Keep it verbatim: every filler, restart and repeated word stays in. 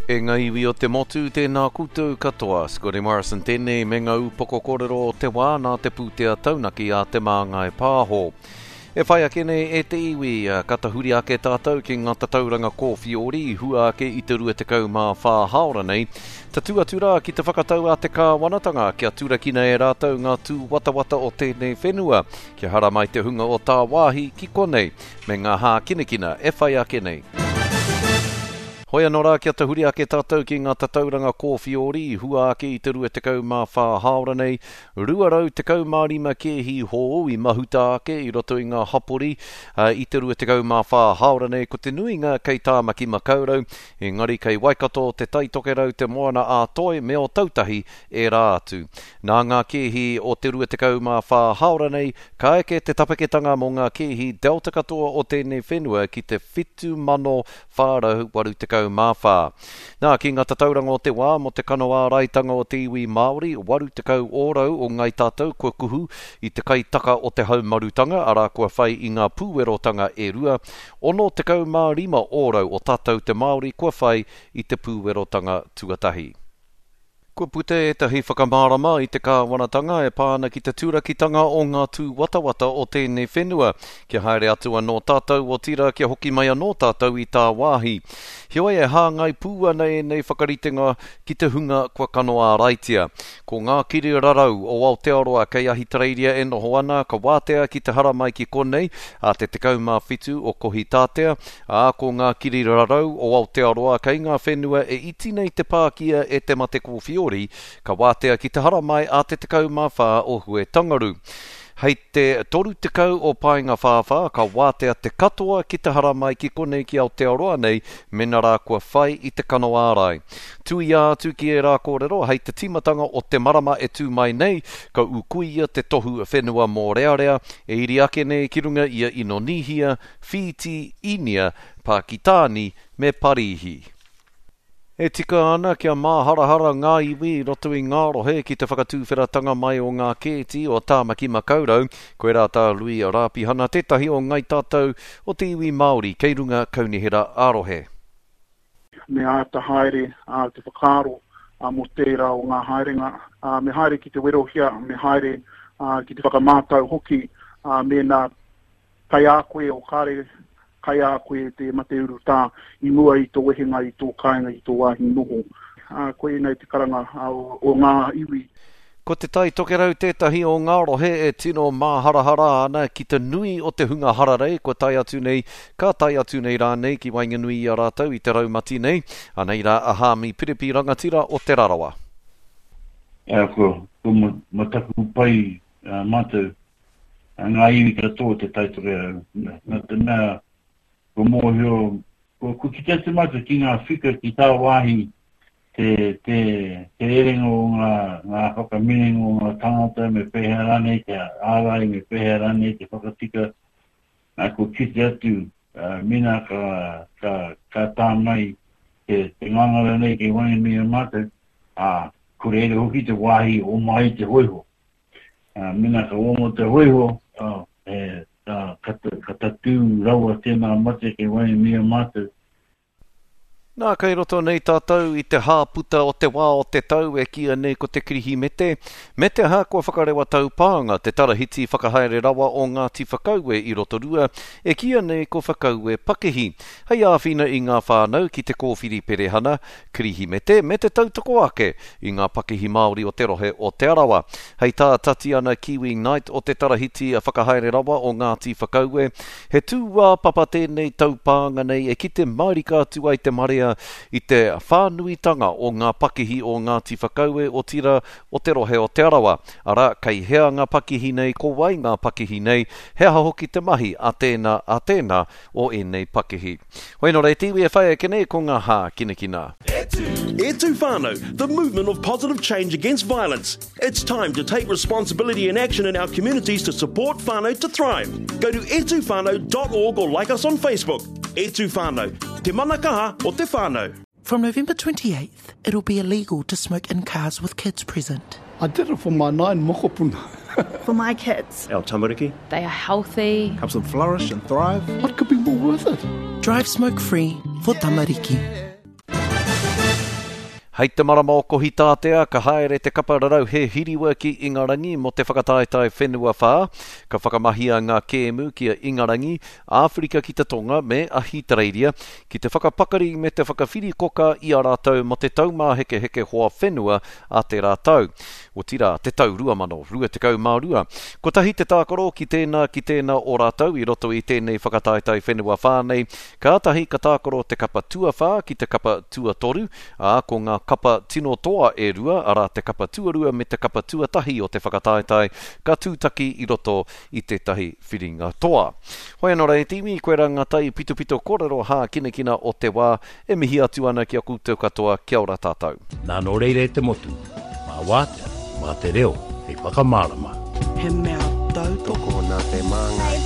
E ngā iwi o te motu, tēnā koutou katoa. Scotty Morrison tēnei me ngā upoko kōrero o te wā nā te pūtea taunaki a Te Māngai Pāho. E whai ake nei e te iwi, ka tahuri ake tātou ki ngā tatauranga kōwhiori i hua ake i te rua tekau mā whā hāora nei. Tatū atu rā ki te whakatau a te kāwanatanga kia turakina e rātou ngā tūwatawata o tēnei whenua, kia haramai te hunga o tāwāhi ki konei, me ngā hākinakina e whai ake nei. Hoi anō rā kia tahuri ake tātou ki ngā tatauranga kōwhiori i hua ake i te rua tekau mā whā hāora nei, rua rau tekau mā rima kēhi hou i mahuta ake i roto i ngā hapori i te rua tekau mā whā hāora nei, ko te nuinga kei Tāmaki Makaurau, engari kei Waikato, Te Tai Tokerau, Te Moana a Toi me Ōtautahi ērā atu. Nā ngā kēhi o te rua tekau mā whā hāora nei, ka eke te tapeketanga mō ngā kēhi Delta katoa o tēnei whenua ki te whitu mano whā rau waru tekau mā whā. Nā, ki ngā tatauranga o te wā mō te kano āraitanga o te iwi Māori, waru tekau ōrau o ngai tātou kua kuhu i te kaitaka o te haumarutanga, arā kua whai i ngā pūwerotanga e rua, ono tekau mā rima ōrau o tātou te Māori kua whai i te pūwerotanga tuatahi. Kua puta ētahi whakamārama i te kāwanatanga e pā ana ki te turakitanga o ngā tūwatawata o tēnei whenua, kia haere atu anō tātou otirā kia hoki mai anō tātou i tāwāhi. Heoi e hāngai pū ana ēnei whakaritenga ki te hunga kua kano āraitia. Ko ngā kiri rarau o Aotearoa kei Ahitereiria e noho ana, ka wātea ki te haramai ki konei a te tekau mā whitu o Kohitātea, ā, ko ngā kiri rarau o Aotearoa kei ngā whenua e iti nei te pākia e te mate kōwhiori, ka wātea ki te haramai a te tekau mā whā o Huetangaru. Hei te toru tekau o Paenga Whāwhā, ka wātea te katoa ki te haramai ki konei ki Aotearoa nei, mena rā kua whai i te kano ārai. Tuia atu ki ērā kōrero, hei te tīmatanga o te marama e tū mai nei, ka ukuia te tohu whenua mōrearea, e iri ake nei ki runga ia Inonīhia, Whīti, Īnia, Pākitāni me Parīhi. E tika ana kia māharahara ngā iwi i roto i ngā rohe ki te whakatūwheratanga mai o ngā kēti o Tāmaki Makaurau, koirā tā Lui Rāpihana tētahi o ngai tātou o te iwi Māori kei runga kaunihera ā-rohe. Me āta haere a, te whakaaro a, mō tērā o ngā haerenga, a, me haere ki te werohia, me haere a, ki te whakamātau hoki, a, mēnā kai a koe o kāre kai a koe te mate urutā i mua i tō wehenga i tō kāinga i tō wāhi noho. Uh, koinei te karanga uh, o, o ngā iwi. Ko Te Tai Tokerau tētahi o ngā rohe e tino māharahara ana ki te nui o te hunga hararei kua tae atu nei, ka tae atu nei rānei ki waenganui i a rātou i te raumati nei. Anei rā a Hāmi Piripi rangatira o Te Rarawa. Ea, ko, ko mataku pai uh, mātou, ngā iwi katoa o Te Tai Tokerau. Nā te mea, ko mōhio, ko, ko ki te atu mātou ki ngā whika ki tā wāhi te, te, te rerenga o ngā, ngā whakaminenga o ngā tangata, me pēhea rānei te ārai, me pēhea rānei te whakatika. Nā, ko kite atu, uh, mena ka, ka, ka tā mai te, te ngangara nei kei waenganui a mātou, ā, ko reira hoki te wāhi o mai te hoiho. Uh, mena ka omo te hoiho, uh, e, ka, ka, ka tatū rawa tēnā mate kei waenganui a mātou. Nā, kei roto nei tātou i te hāputa o te wā o te tau e kīia nei ko te Kirihimete, me te aha kua whakarewa taupānga te tarahiti whakahaere rawa o Ngāti Whakaue i Rotorua, e kīia nei ko Whakaue Pakihi, hei āwhina i ngā whānau ki te kōwhiri perehana, Kirihimete me te tautoko ake i ngā pakihi Māori o te rohe o Te Arawa. Hei tā Tatiana Kiwi Knight o te tarahiti whakahaere rawa o Ngāti Whakaue, he tūāpapa tēnei taupānga nei e kite mārika atu ai te marea i te whānuitanga o ngā pakihi o Ngāti Whakaue otira o te rohe o Te Arawa. Arā, kei hea ngā pakihi nei, ko wai ngā pakihi nei, he aha hoki te mahi a tēnā, a tēnā o ēnei pakihi. Hoi nō reira, te iwi e whai ake nei ko ngā hākinakina. E tū whānau, the movement of positive change against violence. It's time to take responsibility and action in our communities to support whānau to thrive. Go to e tū whānau dot org or like us on Facebook. E tū whānau, te mana kaha o te whānau. From November twenty-eighth, it'll be illegal to smoke in cars with kids present. I did it for my nine mokopuna. For my kids. Our tamariki. They are healthy. Helps them flourish and thrive. What could be more worth it? Drive smoke free for tamariki. Hei te marama o Kohitātea, ka haere te kapa rarauhe hiriwa ki Ingarangi mō te whakataetae whenua whā. Ka whakamahia ngā kēmu ki a Ingarangi, Āwherika ki te Tonga me Ahitereiria ki te whakapakari me te whakawhirikoka i a rātou mō te taumāhekeheke hoa whenua a tērā tau. Otirā, te tau rua mano rua tekau mā rua. Kotahi te tākaro ki tēnā ki tēnā o rātou i roto i tēnei whakataetae whenua whā nei. Kātahi ka tākaro te kapa tuawhā ki te kapa tuatoru, ā, ko ngā kapa tino toa e rua, arā te kapa tuarua me te kapa tuatahi o te whakataetae, ka tūtaki i roto i tētahi whiringa toa. Hoi anō rā e te iwi, koe rā ngā tai pitopito kōrero hākinakina o te wā, e mihi atu ana ki a koutou katoa, kia ora tātou. Nā nō reira e te motu, mā wātea, mā te reo, hei whakamārama. He mea tautoko nā te Māngai